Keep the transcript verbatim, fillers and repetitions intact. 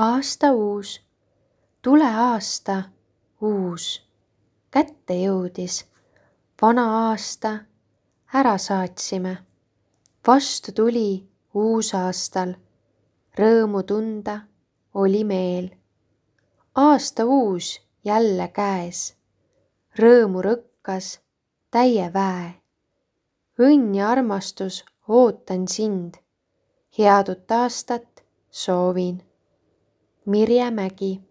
Aasta uus, tule aasta uus, kätte jõudis. Vana aasta ära saatsime. Vastu tuli uusaastal, rõõmu tunda oli meel. Aasta uus jälle käes, rõõmu rõkkas täie väe. Õnn ja armastus ootan sind, head uut aastat soovin. Mirje Mägi.